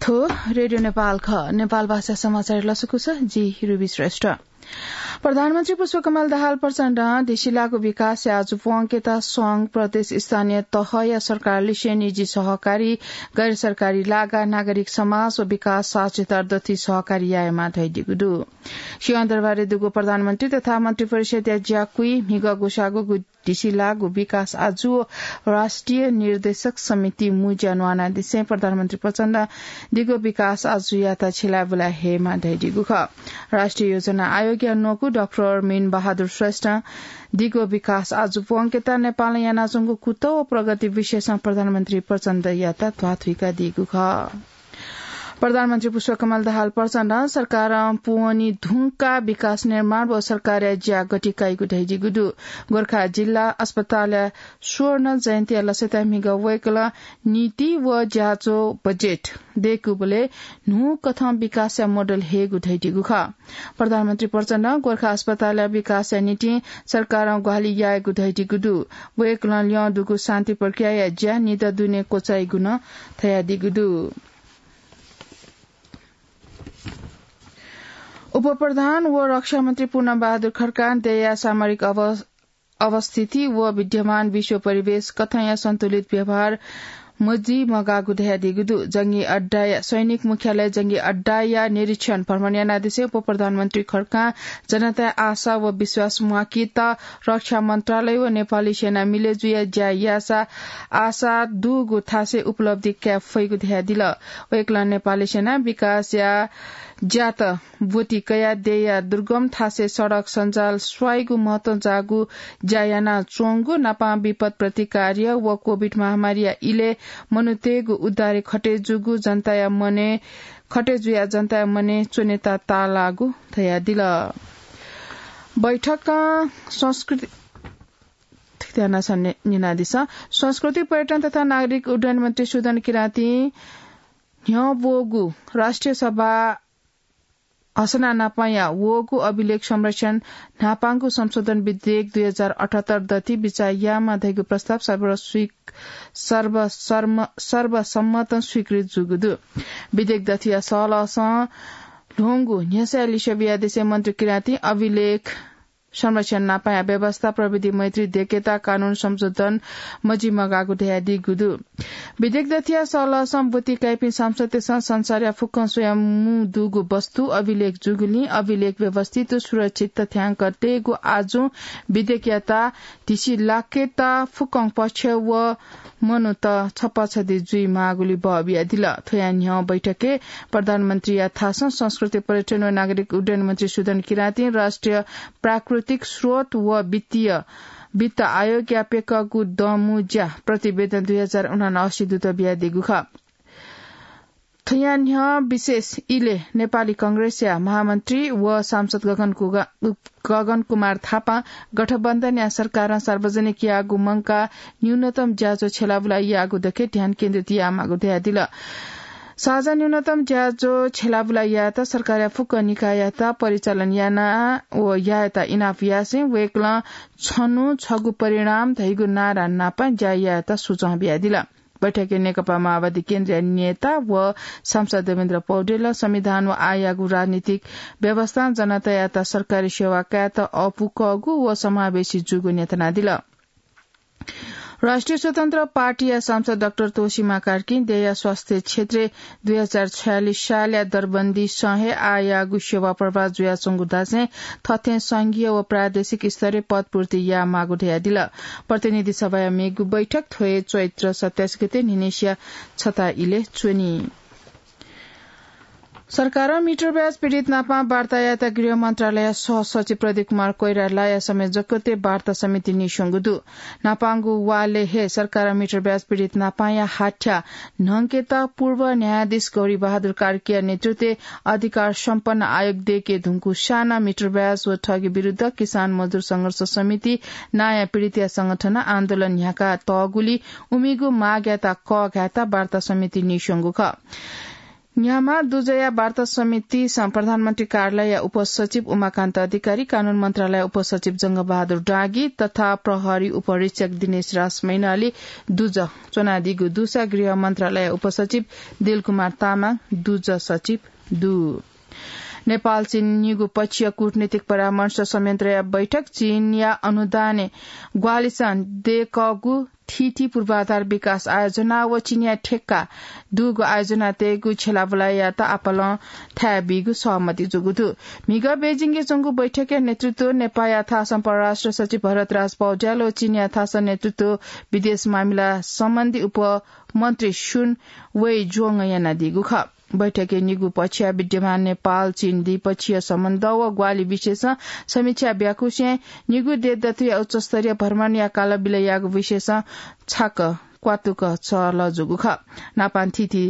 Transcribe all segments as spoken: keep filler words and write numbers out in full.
थ्व रेडियो नेपाल खः। नेपाल भाषा समाचार लसकुस, जि रुबी श्रेष्ठ। प्रधानमन्त्री पुष्पकमल दाहाल प्रचण्डं धिसिलागु विकासया आजु प्वंकेत संघ, प्रदेश, स्थानीय तहया सरकार लिसे निजी सहकारी, गैर सरकारी लागा, नागरिक समाज व विकास साझेदार दथुइ सहकारी यायेमा धयादीगु दु। सिंहदरबारय् दुगु प्रधानमन्त्री तथा मन्त्रिपरिषदया ज्याकुइ म्हिगः ग्वसाःगु धिसिलागु विकास आजु व राष्ट्रिय निर्देशक समिति मुँज्या न्वानादिसें प्रधानमन्त्री प्रचण्ड दिगो विकास आजुयात छिलाबुला हेमा धयादीगु खः। राष्ट्रिय योजना आयोगया न्वकू डाक्टर मीन बहादुर श्रेष्ठं दिगो विकास आजु प्वंकेत नेपालं यानाच्वंगु कुतः व प्रगति विषयसं प्रधानमन्त्री प्रचण्डयात ध्वाथुइकादीगु खः। प्रधानमन्त्री पुष्पकमल दाहाल प्रचण्डं सरकारं पूवनी धुंकाः विकास निर्माण व सरकारया ज्या गति काइगु धयादीगु दु। गोरखा जिल्ला अस्पतालया स्वर्ण जयन्तीया लसताय् म्हिगः वय्कलं नीति व ज्याझ्वः बजेट दय्कूबलय् न्हूकथं विकासया मोडल हयेगु धयादीगु खः। प्रधानमन्त्री प्रचण्डं गोरखा अस्पतालया विकासया निंतिं सरकारं ग्वाहालि यायेगु धयादीगु दु। वय्कलं ल्यं दुगु शान्ति प्रक्रियाया ज्या निदँ दुने क्वचाइगु नं धयादीगु दु। उपप्रधान व रक्षामन्त्री पूर्णबहादुर खड्कां देय्‌या सामरिक अव-, अवस्थिति व विद्यमान विश्व परिवेश कथंया सन्तुलित व्यवहार मजिमगाःगु धयादीगु दु। जंगी अड्डाया, सैनिक मुख्यालय जंगी अड्डाया निरीक्षण भ्रमण यानादिसें उपप्रधानमन्त्री खड्कां जनताया आशा व विश्वास म्वाकेत रक्षा मन्त्रालय व नेपाली सेना मिले जुया ज्या याःसा आशा दुगु थासय् उपलब्धि काये फइगु धयादिल। वय्कलं नेपाली सेना विकासया ज्यात ब्वति कयाः देय्‌या दुर्गम थासय् सडक सञ्जाल स्वाइगु महत्वं जाःगु ज्या यानाच्वंगु, नापं विपद प्रतिकार्य व कोभिड महामारीया इलय् मनूतय्‌गु उद्धारय् खटे जूगु जनताया मनय्, खटे जुयाः जनताया मनय् च्वनेत ताःलाःगु धयादिल। बैठकं संस्कृति, थुकियानाः न्यनादिसँ। संस्कृति, पर्यटन तथा नागरिक उड्डयन मन्त्री सुदन किराँतीं न्ह्यः वःगु राष्ट्रिय सभा हसना नापंया वःगु अभिलेख संरक्षण न्हापांगु संशोधन विधेयक दुई हजार अठहत्तर दथुइ बिचाः यायेमाः धइगु प्रस्ताव सर्व स्वीक-, सर्व-, सर्म-, सर्वसम्मतं स्वीकृत जूगु दु। विधेयक दथुया सहलहसं ल्ह्वंगु न्ह्यसःया लिसे बियादिसें मन्त्री किराँतीं अभिलेख संरक्षण नापंया व्यवस्था, प्रविधि मैत्री, दय्केत कानून संशोधन मजिमगाःगु धयादीगु दु। विधेयक दथुया सहलहसं ब्वति काइपिं सांसदतय्सं संसारया फुक्कं स्वयां मू दुगु वस्तु अभिलेख जूगुलिं अभिलेख व्यवस्थित व सुरक्षित तथ्यांक तयेगु आजुं विधेयकयात धिसिलाकेत फुक्कं पक्ष व मनूत छपाछदि जुइमाःगुली बः बियादिल। थ्वया न्ह्यः बैठकय् प्रधानमन्त्रीया थासं संस्कृति, पर्यटन व नागरिक उड्डयन मन्त्री सुदन किराँतीं राष्ट्रिय प्राकृतिक स्रोत व वित्तीय, वित्त आयोगया प्यकःगु दँमू ज्या प्रतिवेदन दुई हजार उनासी दुत बियादीगु खः। थ्वया न्ह्यः विशेष इलय् नेपाली कांग्रेसया महामन्त्री व सांसद गगन कुगा-, गगन कुमार थापां गठबन्धनया सरकारं सार्वजनिक याःगु मंकाः न्यूनतम ज्याझ्वः छ्यलाबुला याःगु दके ध्यान केन्द्रित यायेमाःगु धयादिल। साझा न्यूनतम ज्याझ्वः छ्यलाबुला यायेत सरकारया फुक्क निकाययात परिचालन याना व यायेत इनाप यासें वय्कलं छन्हु छगू परिणाम धइगु नारा नाप ज्या यायेत सुझाव बियादिल। बैठकय् नेकपा माओवादी केन्द्रीय नेता व सांसद देवेन्द्र पौडेलं संविधान व आःयागु राजनीतिक व्यवस्थां जनतायात सरकारी सेवा कायेत अःपु कःगु व समावेशी जूगु न्ह्यथनादिल। राष्ट्रिय स्वतन्त्र पार्टीया सांसद डाक्टर तोसीमा कार्कीं देय्या स्वास्थ्य क्षेत्रय् दुई हजार छयालिस सालया दरबन्दीसं हे आःयागु सेवा प्रभावित जुयाच्वंगु धासें थथें संघीय व प्रादेशिक स्तरय् पदपूर्ति यायेमाःगु धयादिल। प्रतिनिधि सभाया मेगु बैठक थ्व हे चैत्र सत्ताइस गते न्हिनय्सिया छता इलय् च्वनी। सरकारं मिटर ब्याज पीडित नापं वार्ता यायेत गृह मन्त्रालयया सहसचिव प्रदीप कुमार कोइरालाया संयोजकत्वय् वार्ता समिति नीस्वंगु दु। नापंगु वालय् हे सरकारं मिटर ब्याज पीडित नापंया हाथ्या न्हंकेत पूर्व न्यायाधीश गौरी बहादुर कार्कीया नेतृत्वय् अधिकार सम्पन्न आयोग दय्के धुंकूसां नं मिटर ब्याज व ठगी विरुद्ध किसान मजदुर संघर्ष समिति नांया पीडितया संगठनं आन्दोलन न्ह्याका तःगुलिं उमिगु मागयात कःघायेत वार्ता समिति नीस्वंगु खः। न्ह्यामा दुजया वार्ता समितिसं प्रधानमन्त्री कार्यालय उपसचिव उमाकान्त अधिकारी, कानून मन्त्रालय उपसचिव जंगबहादुर डाँगी तथा प्रहरी उपरीक्षक दिनेश राज मैनाली दुज च्वनादीगु दुसा गृह मन्त्रालय उपसचिव दिलकुमार तामाङ दुज सचिव दु। नेपाल चीन निगू पक्षीय कूटनीतिक परामर्श संयन्त्रया बैठक चीनया अनुदानय् ग्वाहालिसं दयेकःगु थीथी पूर्वाधार विकास आयोजना व चीनया ठेक्का दुगु आयोजना तयेगु छ्यलाबुलायात आपालं थाय् बीगु सहमति जूगु दु। म्हिगः बेजिङय् च्वंगु बैठकया नेतृत्व नेपाःया थासं परराष्ट्र सचिव भरतराज पौड्याल व चीनया थासं नेतृत्व विदेश मामिला सम्बन्धी उपमन्त्री सुन वैज्वंगं यानादीगु खः। बैठकय् निगू पक्षया विद्यमान नेपाल चीन द्विपक्षीय सम्बन्ध व ग्वाहालि विषयसं समीक्षा ब्याकुसें निगू देशदतुया उच्चस्तरीय भ्रमणया कालबिल याःगु विषयसं छाक क्वातुक चहलह जूगु खः। नापां थीथी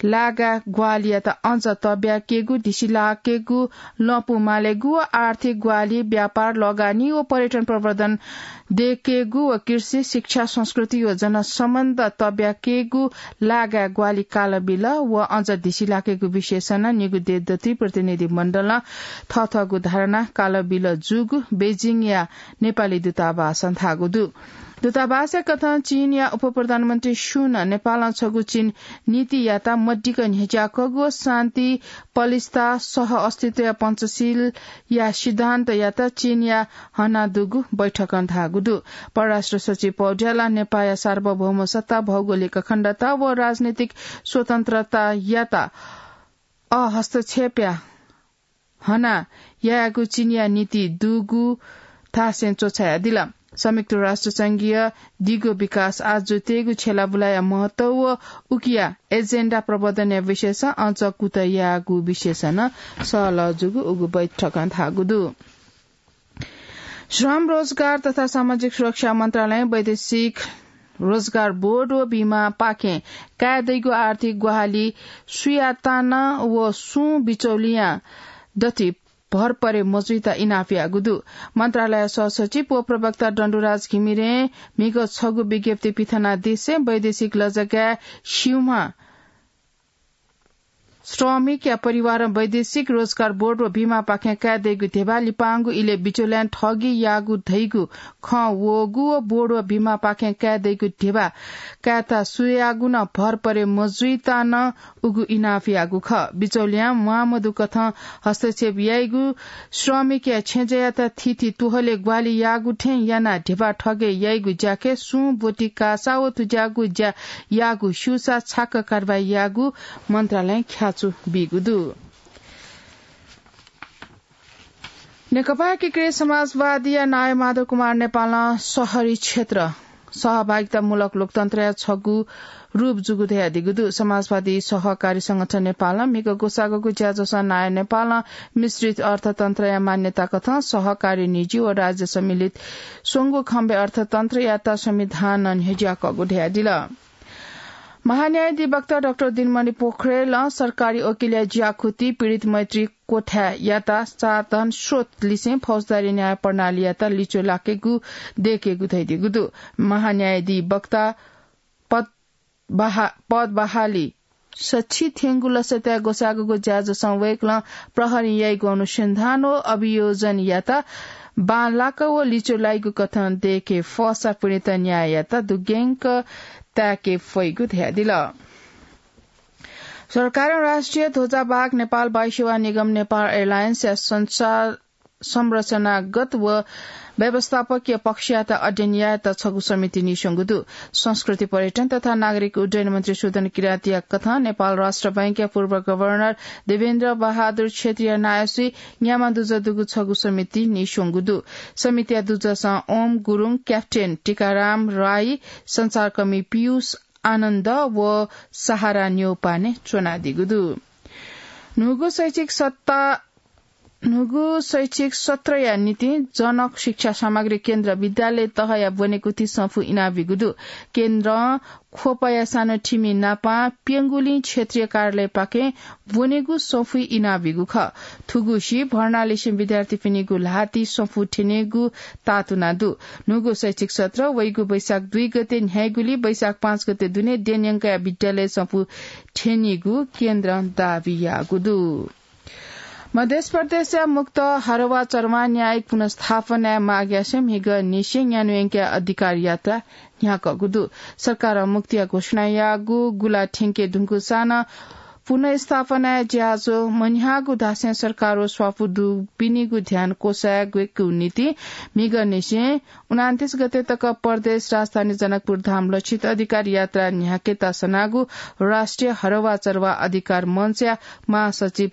लागा ग्वाहालियात अझ तब्याकेगु, धिसिलाकेगु, लँपु मालेगु व आर्थिक ग्वाहालि, व्यापार, लगानी व पर्यटन प्रवर्धन दयेकेगु व कृषि, शिक्षा, संस्कृति व जनसम्बन्ध तब्याकेगु लागा ग्वाहालि कालबिल व अझ धिसिलाकेगु विषयसं नं निगू देशदतुइ प्रतिनिधि मण्डलं थःथःगु धारणा कालबिल जूगु बेजिङया नेपाली दूतावासं धाःगु दु। दूतावासया कथं चीनया उपप्रधानमन्त्री सुन नेपालं छगू चीन नीतियात मदिक्क न्ह्यज्याकःगु व शान्ति, पलिस्था, सह अस्तित्वया पञ्चशीलया सिद्धान्तयात चीनया हना दुगु बैठकं धाःगु दु। परराष्ट्र सचिव पौड्यालं नेपाःया सार्वभौम सत्ता, भौगोलिक अखण्डता व राजनीतिक स्वतन्त्रतायात अहस्तक्षेपया हना यायेगु चीनया नीति दुगु थासय् च्वछायादिल। संयुक्त राष्ट्र संघीय दिगो विकास आजु तयेगु छ्यलाबुलाया महत्व व उकिया एजेन्डा प्रवर्धनया विषयसं अझ कुतः यायेगु विषयसं नं सहलह जूगु उगु बैठकं धाःगु दु। श्रम, रोजगार तथा सामाजिक सुरक्षा मन्त्रालयं वैदेशिक रोजगार बोर्ड व बीमापाखें काये दइगु आर्थिक ग्वाहालि सुयातां नं व सुं बिचौलियां दथुइ भर परे मजुइता इनाप याःगु दु। मन्त्रालय सहसचिव व प्रवक्ता डण्डुराज घिमिरें म्हिगः छगू विज्ञप्ति पिथनादिसें वैदेशिक लजगाय् स्यूम्ह श्रमिकया परिवारं वैदेशिक रोजगार बोर्ड व बीमापाखें काये दइगु ध्यबा लिपांगु इलय् बिचौलियां ठगी याःगु धइगु खँ वःगु व बोर्ड व बीमापाखें काये दइगु ध्यबा कायेत सुयागु नं भर परे मजुइता नं उगु इनाप याःगु खः। बिचौलियां म्वाःमदुकथं हस्तक्षेप याइगु, श्रमिकया छेँजःयात थीथी तुहले ग्वाहालि याःगु थें यानाः ध्यबा ठगे याइगु ज्याखँय् सुं ब्वति काःसा व थुज्याःगु ज्या याःगु स्यूसा छाक कारवाही याःगु मन्त्रालयं ख्याचु बीगु दु। नेकपा एकीकृत समाजवादीया नायः माधव कुमार नेपालं शहरी क्षेत्र सहभागितामूलक लोकतन्त्रया छगू रूप जूगु धयादीगु दु। समाजवादी सहकारी संगठन नेपालं म्हिगः ग्वसाःगुगु ज्याझ्वलय् नायः नेपालं मिश्रित अर्थतन्त्रया मान्यता कथं सहकारी निजी व राज्य सम्मिलित स्वंगू खम्बे अर्थतन्त्रयात संविधानं न्ह्यज्याकःगु धयादिल। महान्यायाधिवक्ता डाक्टर दिनमणि पोखरेलं सरकारी वकिलया ज्याखुति पीडित मैत्री क्वथाय् यात साधन स्रोत लिसें फौजदारी न्याय प्रणालीयात लिच्वः लाकेगु दयेकेगु धयादीगु दु। महान्यायाधिवक्ता पद बहा-, पद बहाली सछि थ्यंगु लसताय् ग्वसाःगुगु ज्याझ्वलं वय्कलं प्रहरीं याइगु अनुसन्धान व अभियोजनयात बांलाक व लिच्वः लाइगु कथं दयेके फःसा पीडित न्याययात दुग्यंक ताय्के फइगु धयादिल। सरकारं राष्ट्रिय ध्वजावाहक नेपाल वायुसेवा निगम, नेपाल एयरलाइन्सया संचार संरचनागत व व्यवस्थापकीय पक्षयात अध्ययन यायेत छगू समिति नीस्वंगु दु। संस्कृति, पर्यटन तथा नागरिक उड्डयन मन्त्री सुदन किरातीया कथं नेपाल राष्ट्र बैंकया पूर्व गभर्नर देवेन्द्र बहादुर क्षेत्रीया नायःसुइ न्याम्ह दुजः दुगु छगू समिति नीस्वंगु दु। समितिया दुजसं ओम गुरुङ, क्याप्टेन टीकाराम राई, संचारकर्मी पीयूष आनन्द व सहारा न्यौपाने च्वनादीगु दु। न्हूगु शैक्षिक सत्ता न्हूगु शैक्षिक सत्रया निंतिं जनक शिक्षा सामग्री केन्द्र विद्यालय तहया ब्वनेगु ति सफू इनाबिगु दु। केन्द्रं ख्वपया सानो ठिमी नापां प्यंगुलिं क्षेत्रीय कार्यालयपाखें ब्वनेगु सफू इनाबिगु खः। थुगुसी भर्नालिसे विद्यार्थीपिनिगु ल्हाति सफू थ्यनेगु तातुना दु। न्हूगु शैक्षिक सत्र वइगु वैशाख दुई गते न्ह्याइगुली वैशाख पाँच गते दुने देन्यंकया विद्यालय सफू थ्यनीगु केन्द्रं दाबी याःगु दु। मध्य प्रदेशया मुक्त हरवा चरवा न्यायिक पुनर्स्थापनाया मागयासें म्हिगः निसें न्यान्हुइंकया अधिकार यात्रा न्ह्याकःगु दु। सरकारं मुक्तिया घोषणा याःगु गुला थ्यंके धुंकूसां पुनर्स्थापनाया ज्याझ्वः मन्ह्याःगु धासें सरकार व स्वापू दुपिनिगु ध्यान क्वसायेगु निंतिं म्हिगः निसें उनान्तिस गते तक प्रदेश राजधानी जनकपुर धाम लक्षित अधिकार यात्रा न्ह्याकेत सनागु राष्ट्रिय हरवा चरवा अधिकार मञ्चया महासचिव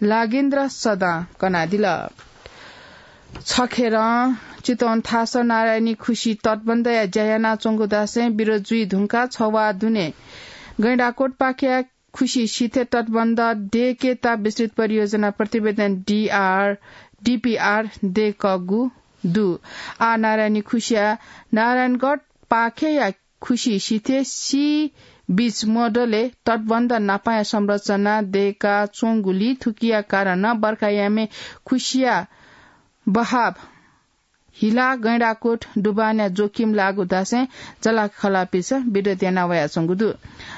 लागेन्द्र सदां कनादिल। छखेरं चितवन थासः नारायणी खुसी तटबन्धया ज्या यानाच्वंगु धासें विरोध जुइ धुंकाः छवाः दुने गैंडाकोटपाखेया खुसी सिथे तटबन्ध देकेता विस्तृत परियोजना प्रतिवेदन डीआर, डीपीआर देकःगु दु। आ नारायणी खुसिया नारायणगढ पाखेया खुसी सिथे सी बीच मोडलय् तटबन्ध नापाया संरचना देका च्वंगुली थुकिया कारण बर्खायामे खुसिया बहाव हिला गैंडाकोट डुबानया जोखिम लाःगु धासें जलाखलापिसं विरोध याना वयाच्वंगु दु।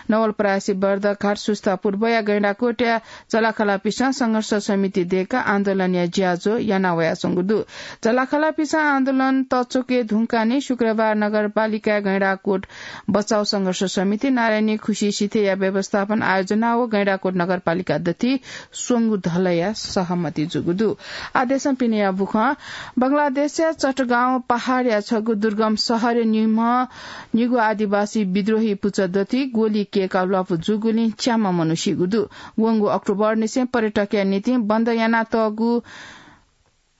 नवलपरासी बर्दघाट सुस्ता पूर्वया गैंडाकोटया जलाखलापिसं संघर्ष समिति देका आन्दोलनया ज्याझ्वः याना वयाच्वंगु दु। जलाखलापिसं आन्दोलन तच्वके धुंकाने शुक्रबार नगरपालिका गैंडाकोट बचाउ संघर्ष समिति नारायणी खुसी सिथेया व्यवस्थापन आयोजना व गैंडाकोट नगरपालिका दथि स्वंगु धलया सहमति जूगु दु। आदेशं पिनेया बुखं बंगलादेशया चटगांव पहाडया छगू दुर्गम शहरय् निम्ह निगू आदिवासी विद्रोही पुचः दथि गोली केका ल्वापु जूगुलिं च्याम्ह मनू सीगु दु। वंगु अक्टोबर निसें पर्यटकया निंतिं बन्द यानातःगु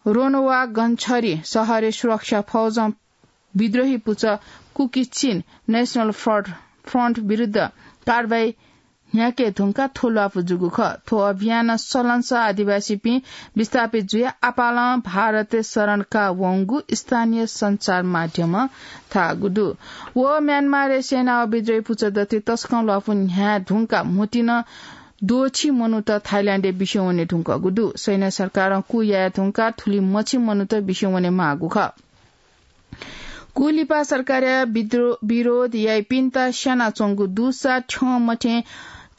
रोनवा गन्छरी शहरय् सुरक्षा फौजं विद्रोही पुचः कुकी चिन नेशनल फ्रन्ट, फ्रन्ट विरुद्ध कारवाही न्ह्याके धुंकाः थ्व ल्वापु जूगु खः। थ्व अभियान सलंसः आदिवासीपिं विस्थापित जुयाः आपालं भारतय् शरण काः वंगु स्थानीय सञ्चार माध्यमं धाःगु दु। व म्यानमारय् सेना व विद्रोही पुचः दथि तसकं ल्वापु न्ह्याये धुंकाः म्हुतिनं द्वःछि मनूत थाइल्याण्डय् बिस्युं वने धुंकूगु दु। सैन्य सरकारं कू याये धुंकाः थुलि मछि मनूत बिस्युं वने माःगु खः। कू लिपा सरकारया विद्रो-, विरोध याइपिन्त स्यानाच्वंगु दुसा थ्यंमथें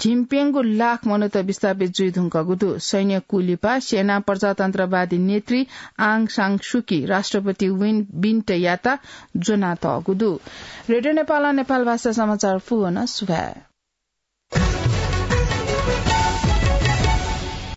झिंप्यंगू लाख मनूत विस्थापित जुइ धुंकूगु दु। सैन्य कू लिपा सेना प्रजातन्त्रवादी नेत्री आङ सान सुकी राष्ट्रपति विन मिन्टयात ज्वनातःगु दु। रेडियो नेपालं नेपाल भाषा समाचार पूवना। सुभाय्।